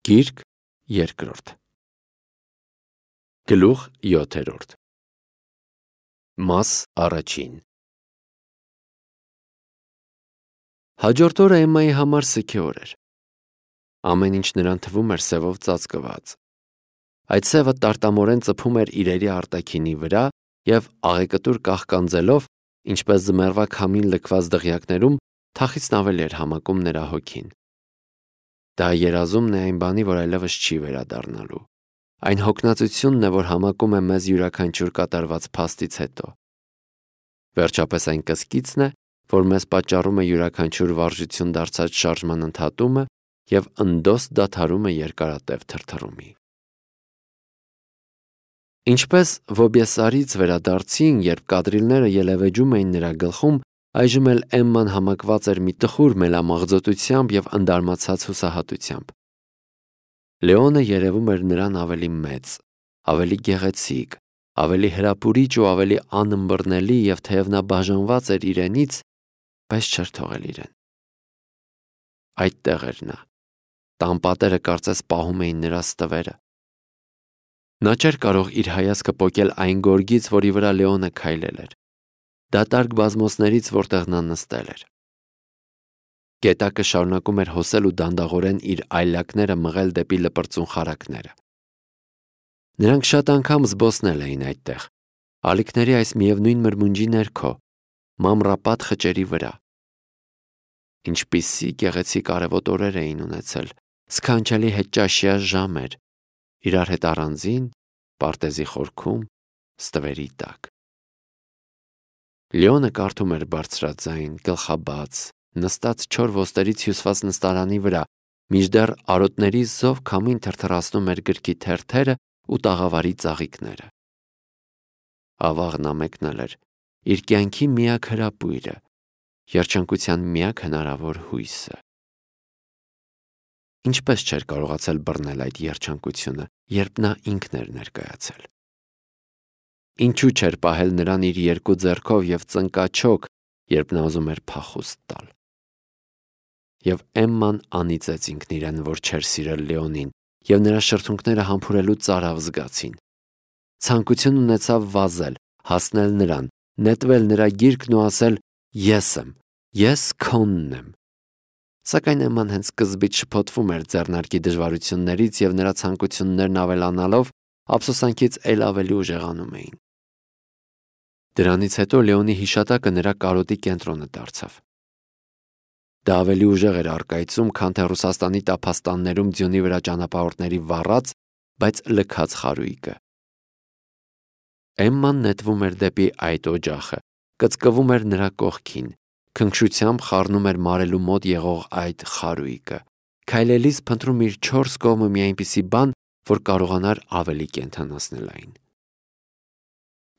Գիրք երկրորդ Գլուխ 7 Մաս առաջին Հաջորդ օրը Էմմայի համար սգի օր էր։ Ամեն ինչ նրան թվում էր սևով ծածկված։ Այդ սևը տարտամորեն ծփում էր իրերի արտաքինի վրա և աղեկտուր կաղկանձելով, ինչպես ձմեռվա քամին լքված դղյակներում, թախիցն ավելի էր համակում նրա հոգին։ Դա երազումն է այն բանի, որ այլևս չի վերադառնալու։ Այն հոգնածությունն է, որ համակում է մեզ յուրաքանչյուր կատարված փաստից հետո։ Վերջապես այն կսկիցն է, որ մեզ պատճառում է յուրաքանչյուր վարժություն դարձած շարժման ընդհատումը և ընդոս դադարումը երկարատև թրթռումի։ Ինչպես Վոբեսարից վերադարձին, երբ կադրիլները ելևեջում էին նրա գլխում, այժմ էլ Էմման համակված էր մի տխուր մելամաղձոտությամբ և ընդարմացած հուսահատությամբ։ Լեոնը երևում էր նրան ավելի մեծ, ավելի գեղեցիկ, ավելի հրապուրիչ ու ավելի անըմբռնելի, և թեև նա բաժանված էր իրենից, բայց չէր թողել իրեն։ Այդտեղ էր նա։ Տան պատերը կարծես պահում էին նրա ստվերը։ Նա չէր կարող իր հայացքը պոկել այն գորգից, որի վրա Լեոնը քայլել էր, դատարկ բազմոցներից, որտեղ նա նստել էր։ Գետակը շարունակում էր հոսել ու դանդաղորեն իր այլակները մղել դեպի լպրծուն խարակները։ Նրանք շատ անգամ զբոսնել էին այդտեղ, ալիքների այս միևնույն մրմունջի ներքո, մանրապատ խճերի վրա։ Ինչպիսի գեղեցիկ արևոտ օրեր էին ունեցել, սքանչելի հետճաշյա ժամեր, իրար հետ առանձին, պարտեզի խորքում, ստվերի տակ։ Լեոնը կարդում էր բարձրաձայն, գլխաբաց, նստած չոր ոսτερից հյուսված նստարանի վրա, մինչդեռ արոտների զով քամին թրթռացնում էր գրքի թերթերը ու տաղավարի ծաղիկները։ Ավաղն ամեկնել էր իր կյանքի միակ հրապույրը, երջանկության միակ հնարավոր հույսը։ Ինչպես չէր կարողացել բռնել այդ երջանկությունը, երբ նա ինքն էր ներկայացել։ Ինչու չէր պահել նրան իր երկու ձեռքով և ծնկաչոք, երբ նա ուզում էր փախուստ տալ։ Եվ Էմման անիծեց ինքն իրեն, որ չէր սիրել Լեոնին, և նրա շրթունքները համբուրելու ծարավ զգացին։ Ցանկություն ունեցավ վազել, հասնել նրան, նետվել նրա գիրկն ու ասել. «Ես եմ, ես քոնն եմ»։ Սակայն Էմման հենց սկզբից շփոթվում էր ձեռնարկի դժվարություններից, և նրա ցանկություններն ավելանալով, ափսոսանքից էլ ավելի ուժեղանում էին։ Դրանից հետո Լեոնի հիշատակը նրա կարոտի կենտրոնը դարձավ։ Դա ավելի ուժեղ էր առկայծում, քան թե Ռուսաստանի տափաստաններում ձյունի վրա ճանապարհորդների վառած, բայց լքած խարույկը։ Էմման նետվում էր դեպի այդ օջախը, կծկվում էր նրա կողքին, քնքշությամբ խառնում էր մարելու մոտ եղող այդ խարույկը, քայլելիս փնտրում իր չորս կողմը մի այնպիսի բան, որ կարողանար ավելի կենդանացնել այն։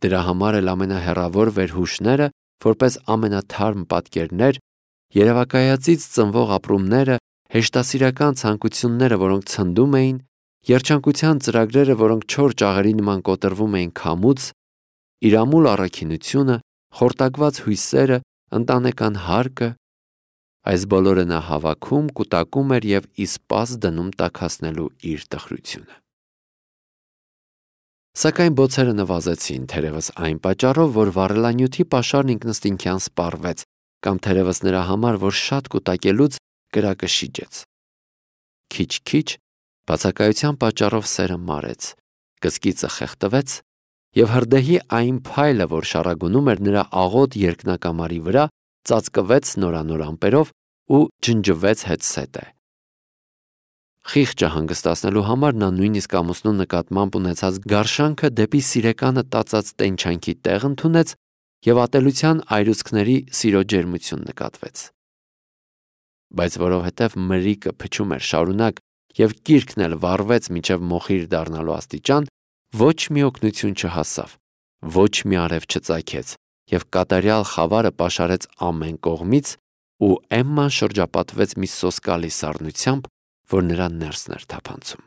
Դրա համար էլ ամենահեռավոր վերհուշները, որպես ամենաթարմ պատկերներ, երևակայածից ծնվող ապրումները, հեշտասիրական ցանկությունները, որոնք ցնդում էին, երջանկության ծրագրերը, որոնք չոր ճաղերի նման կոտրվում էին քամուց, իր ամուլ առաքինությունը, խորտակված հույսերը, ընտանեկան հարկը, այս բոլորը նա հավաքում, կուտակում էր և ի սպաս դնում տաքացնելու իր տխրությունը։ Սակայն բոցերը նվազեցին, թերևս այն պատճառով, որ վառելանյութի պաշարն ինքնըստինքյան սպառվեց, կամ թերևս նրա համար, որ շատ կուտակելուց կրակը շիջեց։ Քիչ-քիչ, բացակայության պատճառով սերը մարեց, կսկիծը խեղդվեց, և հրդեհի այն փայլը, որ շառագունում էր նրա աղոտ երկնակամարի վրա, ծածկվեց նորանոր ամպերով ու ջնջվեց հետզհետե։ Խիղճը հանգստացնելու համար նա նույնիսկ ամուսնու նկատմամբ ունեցած գարշանքը դեպի սիրեկանը տածած տենչանքի տեղ ընդունեց, և ատելության այրուցքների սիրո ջերմություն նկատվեց։ Բայց որովհետև մրրիկը փչում էր շարունակ, և կիրքն էլ վառվեց մինչև մոխիր դառնալու աստիճան, ոչ մի օգնություն չհասավ, ոչ մի արև չծագեց, և կատարյալ խավարը պաշարեց ամեն կողմից, ու Էմման շրջապատվեց մի սոսկալի սառնությամբ, որ նրան ներսն էր թափանցում։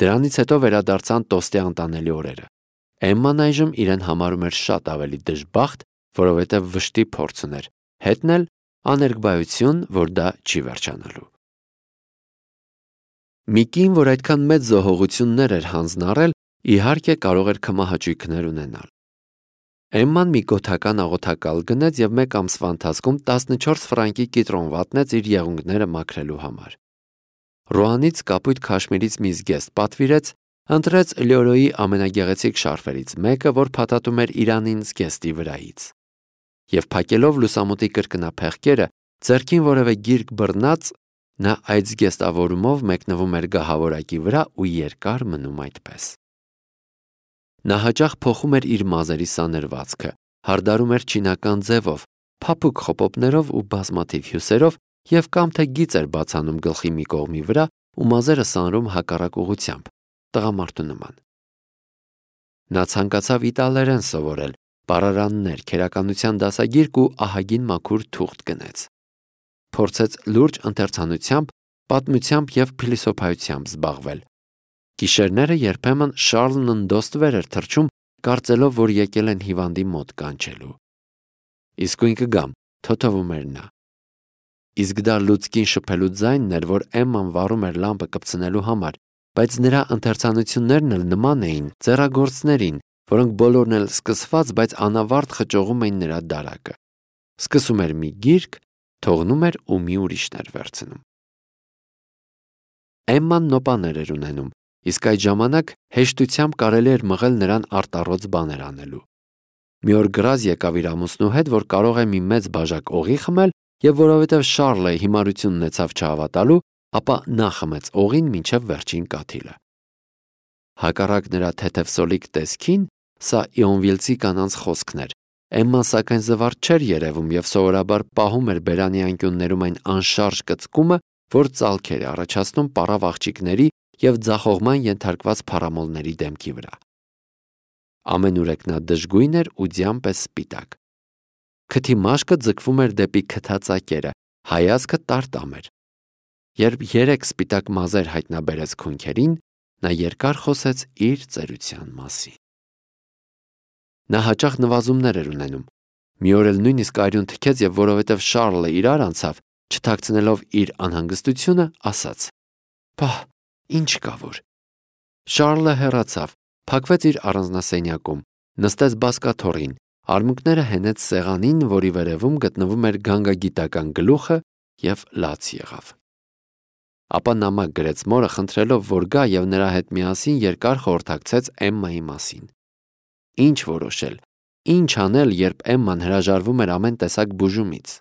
Դրանից հետո վերադարձան տոստի անտանելի օրերը։ Էմման այժմ իրեն համարում էր շատ ավելի դժբախտ, որովհետև վշտի փորձ ուներ, հետն էլ աներկբայություն, որ դա չի վերջանալու։ Մի կին, որ այդքան մեծ զոհողություններ էր հանձնառել, իհարկե կարող էր քմահաճույքներ ունենալ։ Էմման մի գոթական աղոթակալ գնեց եւ մեկ ամսվա ընթացքում 14 ֆրանկի կիտրոն վատնեց իր եղունգները մաքրելու համար։ Ռուանից կապույտ քաշմիրից մի զգեստ պատվիրեց, ընտրեց Լյորոյի ամենագեղեցիկ շարֆերից մեկը, որ փաթաթում էր Իրանին զգեստի վրայից։ Եվ փակելով լուսամուտի կրկնափեղկերը, ձեռքին որևէ գիրք բռնած, նա այդ զգեստավորումով մեկնվում էր գահավորակի վրա ու երկար մնում այդպես։ Նա հաճախ փոխում էր իր մազերի սանրվածքը, հարդարում էր չինական ձևով, փափուկ խոպոպներով ու բազմաթիվ հյուսերով եւ կամ թե գիծ էր բացանում գլխի մի կողմի վրա ու մազերը սանրում հակառակ ուղղությամբ, տղամարդու նման։ Նա ցանկացավ իտալերեն սովորել, բառարաններ, քերականության դասագիրք ու ահագին մաքուր թուղթ գնեց։ Փորձեց լուրջ ընթերցանությամբ, պատմությամբ եւ փիլիսոփայությամբ զբաղվել։ Գիշերները երբեմն Շարլն ընդոստվեր էր թռչում, կարծելով, որ եկել են հիվանդի մոտ կանչելու։ Իսկույն կգամ, թոթվում էր նա։ Իսկ դա լուցկին շփելու ձայնն էր, որ Էմման վառում էր լամպը կպցնելու համար, բայց նրա ընթերցանություններն էլ նման էին ձեռագործներին, որոնք բոլորն էլ սկսված, բայց անավարտ խճողում էին նրա դարակը։ Սկսում էր մի գիրք, թողնում էր ու մի ուրիշն էր վերցնում։ Էմման նոպաներ էր ունենում, իսկ այդ ժամանակ հեշտությամբ կարելի էր մղել նրան արտառոց բաներ անելու։ Մի օր գրազ եկավ իր ամուսնու հետ, որ կարող է մի մեծ բաժակ օղի խմել, եւ որովհետեւ Շարլը հիմարություն ունեցավ չհավատալու, ապա նա խմեց օղին մինչև վերջին կաթիլը։ Հակառակ նրա թեթև սոլիկ տեսքին, սա Իոնվիլցի կանանց խոսքն էր։ Էմման սակայն զվարթ չէր երևում եւ սովորաբար պահում էր բերանի անկյուններում այն անշարժ կծկումը, որ ծալքեր է առաջացնում պարավ աղջիկների եւ ձախողման ենթարկված փառամոլների դեմքի վրա։ Ամենուրեք նա դժգույն էր ու ձյան պես սպիտակ։ Քթի մաշկը ձգվում էր դեպի քթածակերը, հայացքը տարտամ էր։ Երբ 3 սպիտակ մազեր հայտնաբերեց քունքերին, նա երկար խոսեց իր ծերության մասին։ Նա հաճախ նվազումներ էր ունենում։ Մի օր էլ նույնիսկ արյուն թքեց եւ որովհետեւ Շարլը իրար անցավ, չթաքցնելով իր անհանգստությունը, ասաց. «Փահ, ինչ կա որ»։ Շարլը հեռացավ, փակվեց իր առանձնասենյակում, նստեց բազկաթոռին, արմունկները հենեց սեղանին, որի վերևում գտնվում էր գանգագիտական գլուխը եւ լաց եղավ։ Ապա նամակ գրեց մորը, խնդրելով, որ գա եւ նրա հետ միասին երկար խորհրդակցեց Էմմայի մասին։ Ինչ որոշել, ինչ անել, երբ Էմման հրաժարվում էր ամեն տեսակ բուժումից։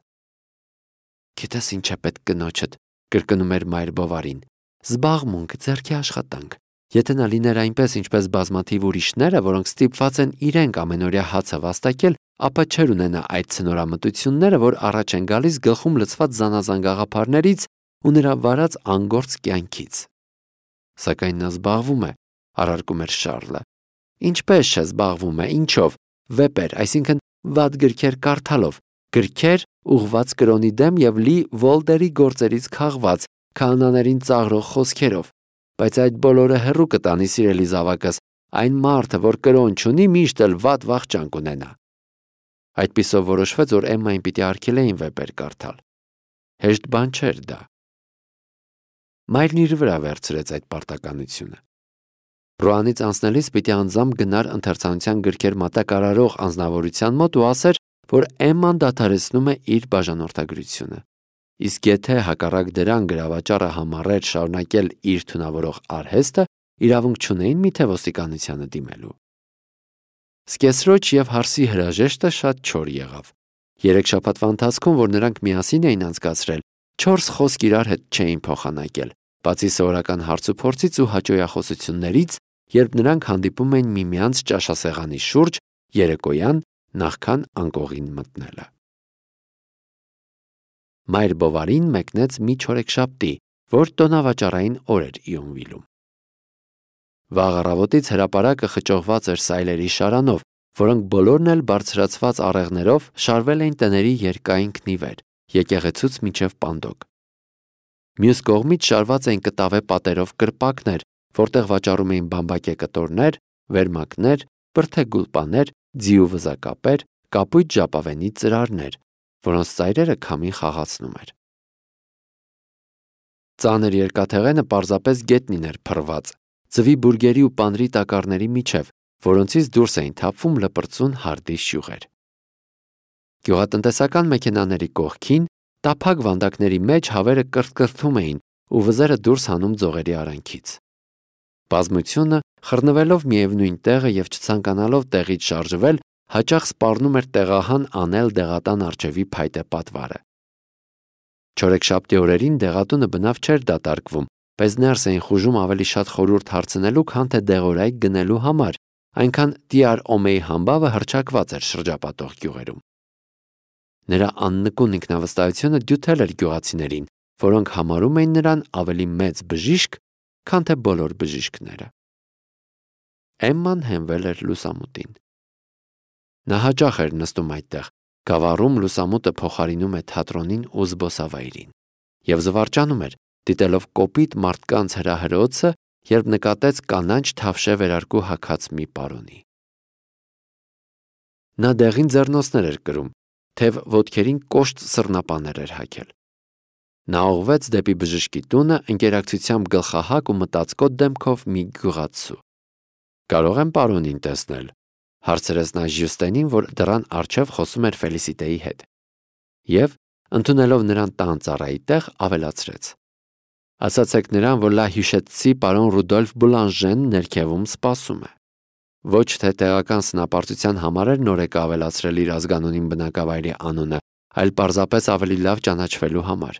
Գիտես ինչ է պետք կնոջդ, կրկնում էր Մայր Բովարին։ Զբաղմունք, ձեռքի աշխատանք։ Եթե նա լիներ այնպես, ինչպես բազմաթիվ ուրիշները, որոնք ստիպված են իրենք ամենօրյա հացը վաստակել, ապա չէր ունենա այդ ցնորամտությունները, որ առաջ են գալիս գլխում լցված զանազան գաղափարներից ու նրա վարած անգործ կյանքից։ Սակայն նա զբաղվում է, առարկում էր Շարլը։ Ինչպես չէ զբաղվում է, ինչով, վեպեր, այսինքն վատ գրքեր կարդալով, գրքեր ուղված կրոնի դեմ եւ լի Վոլտերի գործերից քաղված, քահանաներին ծաղրող խոսքերով, բայց այդ բոլորը հեռու կտանի, սիրելի զավակս, այն մարդը, որ կրոն չունի, միշտ էլ վատ վախճան կունենա։ Այդպիսով որոշվեց, որ Էմմային պիտի արգելեին վեպեր կարդալ։ Հեշտ բան չէր դա։ Մայրն իր վրա վերցրեց այդ պարտականությունը։ Ռուանից անցնելիս պիտի անձամբ գնար ընթերցանության գրքեր մատակարարող անձնավորության մոտ ու ասեր, որ Էմման դադարեցնում է իր բաժանորդագրությունը։ Իսկ եթե հակառակ դրան գրավաճառը համառեր շարունակել իր թունավորող արհեստը, իրավունք չունեին միթե ոստիկանությանը դիմելու։ Սկեսրոջ եւ հարսի հրաժեշտը շատ չոր եղավ։ 3 շաբաթվա ընթացքում, որ նրանք միասին էին անցկացրել, 4 խոսք իրար հետ չէին փոխանակել, բացի սովորական հարցուփորձից ու հաճոյախոսություններից, երբ նրանք հանդիպում էին միմյանց ճաշասեղանի շուրջ երեկոյան նախքան անկողին մտնելը։ Մայր Բովարին մեկնեց մի չորեքշաբթի, որ տոնավաճառային օր էր Իոնվիլում։ Վաղ առավոտից հրապարակը խճողված էր սայլերի շարանով, որոնք բոլորն էլ բարձրացված աղեղներով շարվել էին տների երկայն քնիվեր, եկեղեցուց մինչև Պանդոկ։ Մյուս կողմից շարված էին կտավե պատերով կրպակներ, որտեղ վաճառում էին բամբակե կտորներ, վերմակներ, բրդե գուլպաներ, ձիու վզակապեր, կապույտ ժապավենի ծրարներ, որոնց ծայրերը քամին խաղացնում էր։ Ծանր երկաթեղենը պարզապես գետնին էր փռված, ձվի բուրգերի ու պանրի տակառների միջև, որոնցից դուրս էին թափվում լպրծուն հարդի շյուղեր։ Գյուղատնտեսական մեքենաների կողքին, տափակ վանդակների մեջ հավերը կրթկրթում էին ու վզերը դուրս հանում ձողերի արանքից։ Բազմությունը, խռնվելով միևնույն տեղը և չցանկանալով տեղից շարժվել, հաճախ սպառնում էր տեղահան անել դեղատան առջևի փայտե պատվարը։ Չորեքշաբթի օրերին դեղատունը բնավ չէր դատարկվում, բայց ներս էին խուժում ավելի շատ խորհուրդ հարցնելու, քան թե դեղորայք գնելու համար, այնքան Տիար Օմեի համբավը հռչակված էր շրջապատող գյուղերում։ Նրա աննկուն ինքնավստահությունը դյութել էր գյուղացիներին, որոնք համարում էին նրան ավելի մեծ բժիշկ, քան թե բոլոր բժիշկները։ Էմման հենվել էր լուսամուտին։ Նա հաճախ էր նստում այդտեղ, գավառում լուսամուտը փոխարինում է թատրոնին ու զբոսավայրին, և զվարճանում էր, դիտելով կոպիտ մարդկանց հրահրոցը, երբ նկատեց կանաչ թավշե վերարկու հագած մի պարոնի։ Նա դեղին ձեռնոցներ էր կրում, թև ոտքերին կոշտ սռնապաներ էր հագել։ Նա ուղղվեց դեպի բժշկի տունը ընկերակցությամբ գլխահակ ու մտածկոտ դեմքով մի գյուղացու։ «Կարող եմ պարոնին տեսնել», հարցրեց նա Ժյուստենին, որ դռան առջև խոսում էր Ֆելիսիտեի հետ, և, ընդունելով նրան տան ծառայի տեղ, ավելացրեց. «Ասացեք նրան, որ լա հյուշեցցի պարոն Ռուդոլֆ Բուլանժեն ներքևում սպասում է»։ Ոչ թե տեղական սնապարտության համար էր նորեկը ավելացրել իր ազգանունին բնակավայրի անունը, այլ պարզապես ավելի լավ ճանաչվելու համար։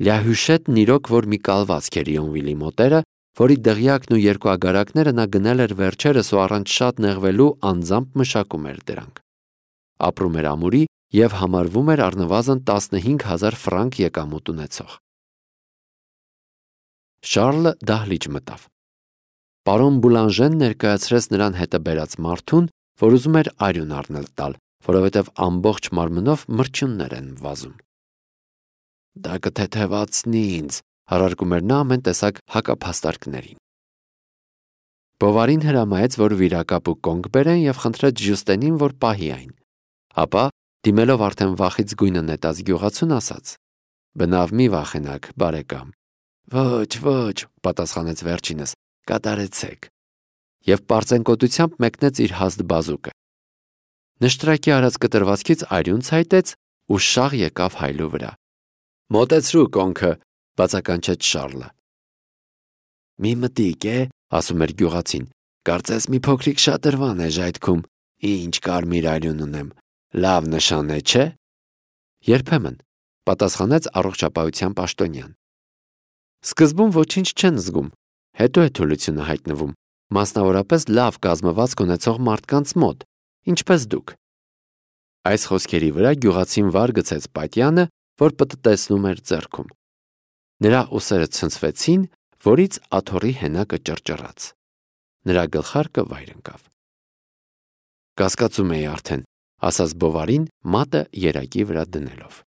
Լյա Հյուշետն իրոք որ մի կալվածք էր Իոնվիլի մոտերը, որի դղյակն ու երկու ագարակները նա գնել էր վերջերս ու առանց շատ նեղվելու անձամբ մշակում էր դրանք։ Ապրում էր ամուրի և համարվում էր առնվազն 15,000 ֆրանկ եկամուտ ունեցող։ Շարլը դահլիճ մտավ։ Պարոն Բուլանժեն ներկայացրեց նրան հետը բերած մարդուն, որ ուզում էր արյուն առնել տալ, որովհետև ամբողջ մարմնով մրջյուններ են վազում։ «Դա կթեթևացնի ինձ», հարարկում էր նա ամեն տեսակ հակափաստարկներին։ Բովարին հրամայեց, որ վիրակապ ու կոնգ բերեն և խնդրեց Ժյուստենին, որ պահի այն։ Ապա, դիմելով արդեն վախից գույնը նետած գյուղացուն, ասաց. «Բնավ մի վախենաք, բարեկամ»։ «Ոչ», պատասխանեց վերջինս, «կատարեցեք»։ Եվ պարծենկոտությամբ մեկնեց իր հաստ բազուկը։ Նշտրակի արած կտրվածքից արյուն ցայտեց ու շաղ եկավ հայլու վրա։ «Մոտեցրու կոնքը», բացականչեց Շարլը։ «Մի մտիկ է», ասում էր գյուղացին, «կարծես մի փոքրիկ շատրվան է ժայթքում, ինչ կարմիր արյուն ունեմ, լավ նշան է, չէ»։ «Երբեմն», պատասխանեց առողջապահության պաշտոնյան։ «Սկզբում ոչինչ չեն զգում, հետո է թուլությունը հայտնվում, մասնավորապես լավ կազմվածք ունեցող մարդկանց մոտ, ինչպես դուք»։ Այս խոսքերի վրա գյուղացին վար գցեց պատյանը, որ պտտեցնում էր ձեռքում։ Նրա ուսերը ցնցվեցին, որից աթոռի հենակը ճռճռաց։ Նրա գլխարկը վայր ընկավ։ «Կասկածում էի արդեն», ասաց Բովարին, մատը երակի վրա դնելով։